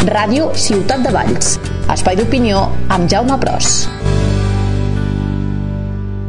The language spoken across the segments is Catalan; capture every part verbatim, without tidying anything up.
Ràdio Ciutat de Valls, espai d'opinió amb Jaume Pros.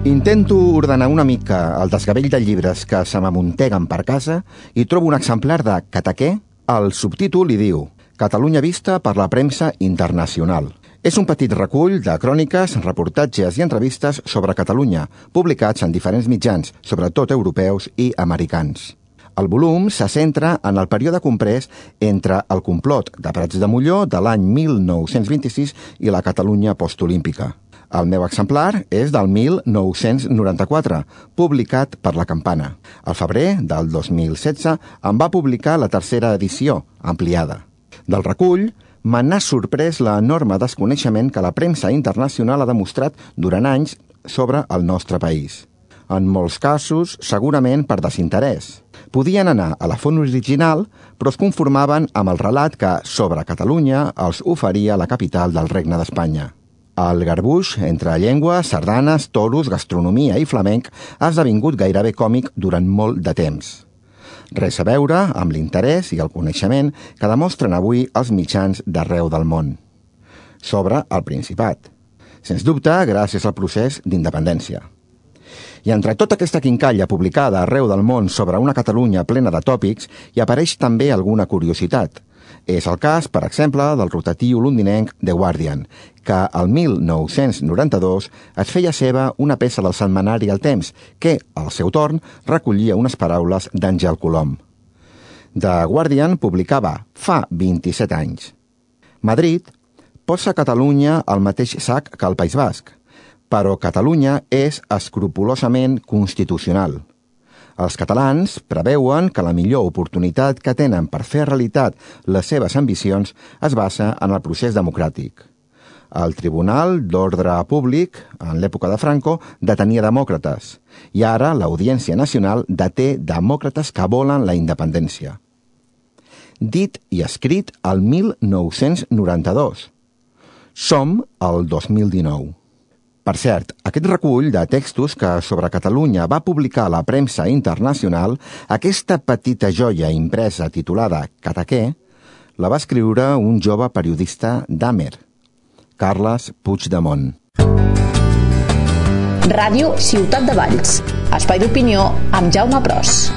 Intento ordenar una mica el desgavell de llibres que se m'amunteguen per casa i trobo un exemplar de Cataqué. El subtítol li diu Catalunya vista per la premsa internacional. És un petit recull de cròniques, reportatges i entrevistes sobre Catalunya, publicats en diferents mitjans, sobretot europeus i americans. El volum se centra en el període comprès entre el complot de Prats de Molló de l'any mil nou-cents vint-i-sis i la Catalunya postolímpica. El meu exemplar és del mil nou-cents noranta-quatre, publicat per La Campana. Al febrer del dos mil setze en va publicar la tercera edició, ampliada. Del recull, me n'ha sorprès l'enorme desconeixement que la premsa internacional ha demostrat durant anys sobre el nostre país. En molts casos, segurament per desinterès. Podien anar a la font original, però es conformaven amb el relat que, sobre Catalunya, els oferia la capital del Regne d'Espanya. El garbuix entre llengües, sardanes, toros, gastronomia i flamenc ha esdevingut gairebé còmic durant molt de temps. Res a veure amb l'interès i el coneixement que demostren avui els mitjans d'arreu del món. Sobre el Principat. Sens dubte, gràcies al procés d'independència. I entre tota aquesta quincalla publicada arreu del món sobre una Catalunya plena de tòpics, hi apareix també alguna curiositat. És el cas, per exemple, del rotatiu londinenc The Guardian, que al mil nou-cents noranta-dos es feia seva una peça del setmanari El Temps, que, al seu torn, recollia unes paraules d'Àngel Colom. The Guardian publicava fa vint-i-set anys. Madrid posa Catalunya al mateix sac que el País Basc, però Catalunya és escrupolosament constitucional. Els catalans preveuen que la millor oportunitat que tenen per fer realitat les seves ambicions es basa en el procés democràtic. El Tribunal d'Ordre Públic, en l'època de Franco, detenia demòcrates, i ara l'Audiència Nacional deté demòcrates que volen la independència. Dit i escrit al mil nou-cents noranta-dos. Som al dos mil dinou. Per cert, aquest recull de textos que sobre Catalunya va publicar la premsa internacional, aquesta petita joia impresa titulada Cataqué, la va escriure un jove periodista d'Amer, Carles Puigdemont. Ràdio Ciutat de Valls, espai d'opinió amb Jaume Pros.